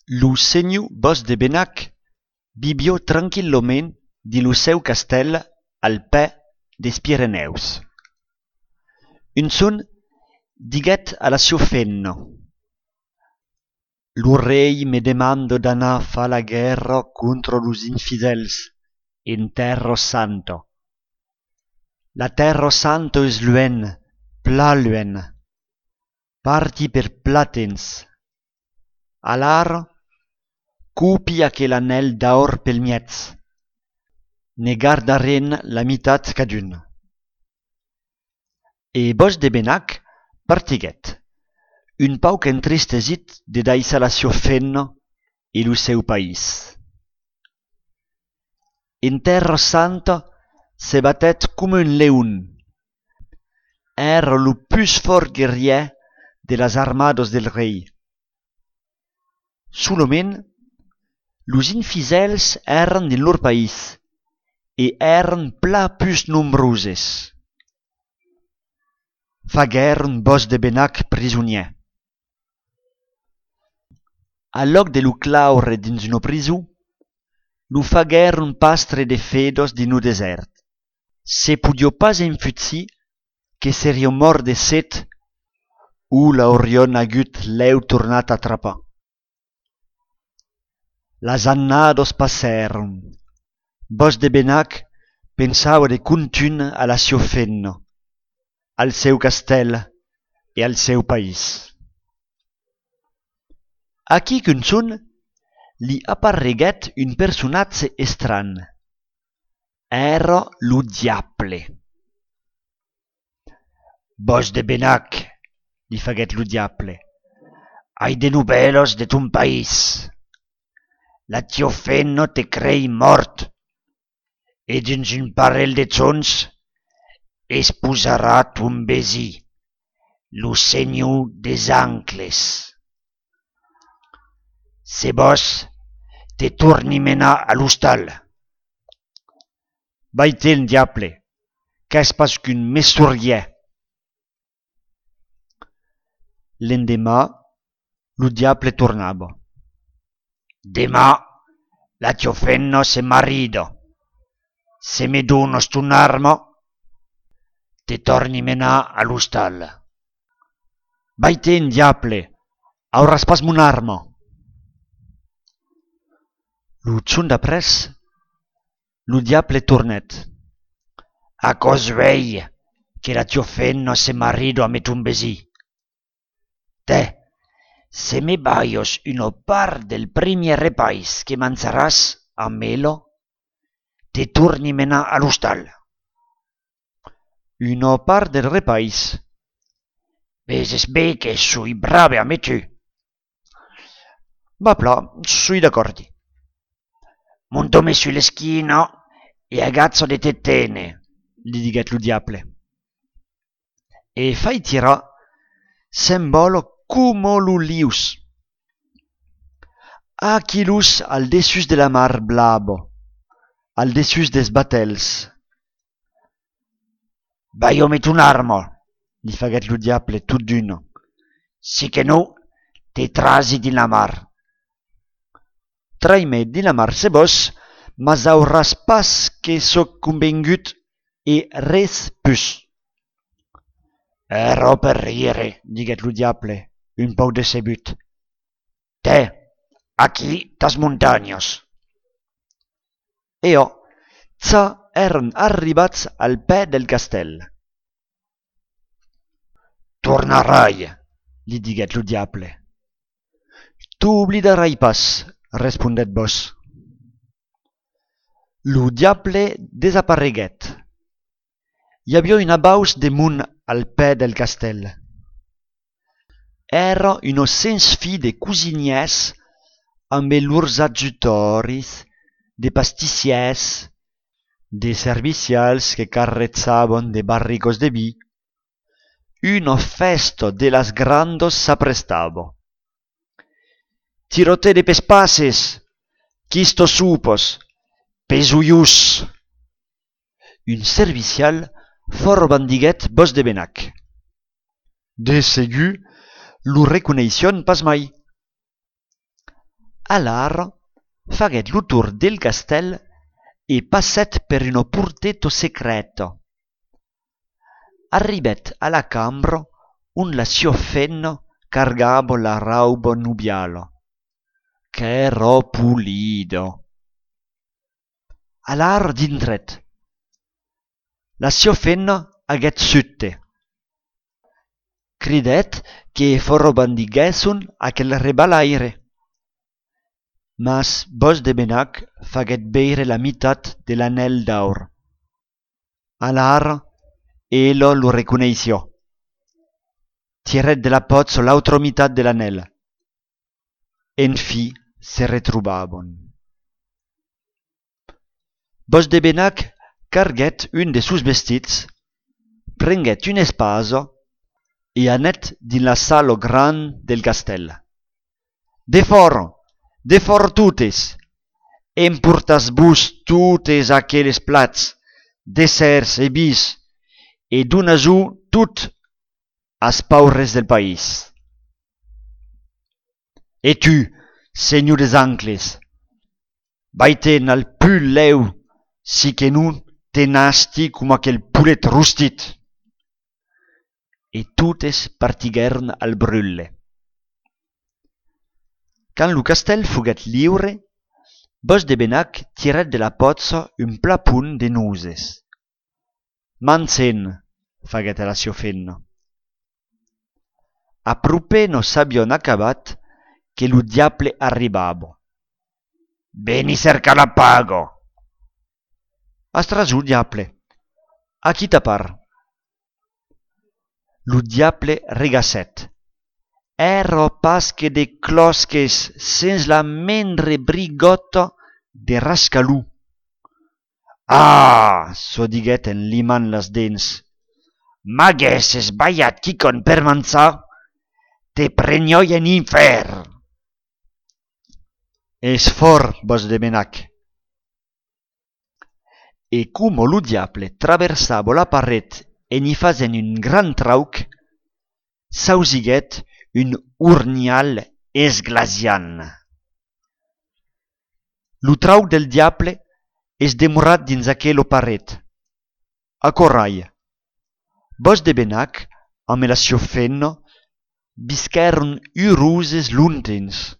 Lo senhor Bos de Benach vivió tranquillament di lo seu castell al pè des Pireneus. Un son diguet a la sua fenna: «Lo rei me demanda d'anar fa la guerra contra los infidels en Terra Santa. La Terra Santa es luen, pla luen, parti per platens. Alara, copi aquel anel d'aur pel miez. Ne gardaren la mitat cadun.» E Bos de Benach partiguet, un pauc entristesit de daïssa la sua fenna e lo seu país. En Terra Santa se batet com un leun. Era lo plus fort guerrier de las armadas del rei. Solament, los infidels eran en lor país e eran pla plus nombroses. Fagueren Bos de Benach prisonier. A loc de lo claure dins una prisó, lo fagueren pastre de fedos din o desert. Se podio pas enfutzir que seria mort de set o l'aurion agut l'eu tornat a atrapar. Las annados passèron. Bos de Benach pensava de contun a la sua fenna, al seu castell e al seu país. Aquí qu'un son li apparreguet un personatge estran. Era lo diable. «Bos de Benach», li faguet lo diable, «hai de novelas de ton país. La tia fenna te crei mort, e dins un parell de tons es posarà ton besí, lo senhor des ancles. Se vos te torni menar a l'hostal.» «Vai-te'n, diable, qu'ès pas qu'un mesurier.» L'endemà, lo diable tornava. «Demà la tia fenna se marida. Se me donas ton arma, te torni menar a l'hostal.» «Vai-te'n, diable, auràs pas mon arma.» Lo chon d'après, lo diable tornet. «A cos vei que la tia fenna se marida amb ton besí. Te, se me baios una part del primier repais que mangiaràs amb ella, te torni menar a l'hostal.» «Una part del repais?» «Veses bé que soi brave amb tu.» «Va pla, soi d'accordi.» «Montame su l'eschina e agazza de tetene», li diguet lo diable. E fai tira s'embala como lo lius. Aquilus al dessus de la mar blava, al dessus des batels. «Vai-me ton arma», li faguet lo diable tot d'una, «si que no te trasi din la mar.» «Trai-me din la mar se vos, mas auràs pas que soc convengut e res pus.» «Era per rire», diguet lo diable, un pauc decebut. «Te, aquí tas montagnas.» Eo, ça eren arribats al pè del castell. «Tornarai», li diguet lo diable. «T'oblidarai pas», respondet Bos. Lo diable desapareguet. Hi havia una baus de munt al pè del castell. Era una sens fi de cosiniers amb lors adjutoris, de pastissiers, de servicials que carrezzavan de barricos de vi. Una festa de las grandos s'aprestava. «Tirote de pespaces, quisto supos, pesuius.» Un servicial fort bandiguet Bos de Benach. De segur lo reconeixion pas mai. Alar faguet lo tour del castèl e passèt per un porteto secreto. Arribèt a la cambra on la sua fenna cargava la rauba nubiala. Qu'èra pulida. Alar dintret. La sua fenna aguèt sutte. Cridèt que forrobandiguèsson aquel rebalaire. Mas Bòs de Benach faguèt beire la mitat de l'anèl d'aur. Alar ella lo reconeissió. Tirèt de la potza l'autra mitat de l'anèl. En fi se retrobàvon. Bòs de Benach carguèt un de sus vestits, prenguèt una espasa e anèt din la sala gran del castèl. De fòra totes, emportatz-vos totes aqueles plats, desserts e bis, e donatz-ho tot as paures del país. E tu, senhor des ancles, vai-te'n al pul lèu, si que non te nasti com aquel poulet rostit. E totes partiguèron al brulle. Quand lo castèl foguèt liure, Bòs de Benach tirèt de la potza un plapon de nozes. Mansen, faguèt la sua fenna. Apropè no s'avion acabat que lo diable arribava. Veni cerca la paga. Astrasù, diable, a qui tapar? Lo diable regassèt. Èrò pas que de closques sens la mendre brigòta de rascalú. Ah, s'ho diguèt en limant las dents. M'aguesses balhat quicon per manzar, te prenhòi en infèrn. És fort, Bòs de Benach. E como lo diable traversava la paret e n'hi fasen un gran trauc, s'ausiguèt un urnial esglaciant. Lo trauc del diable es demorat dins aquela paret. A corrai, Bòs de Benach amb la sua fenna visquèron uroses lontens.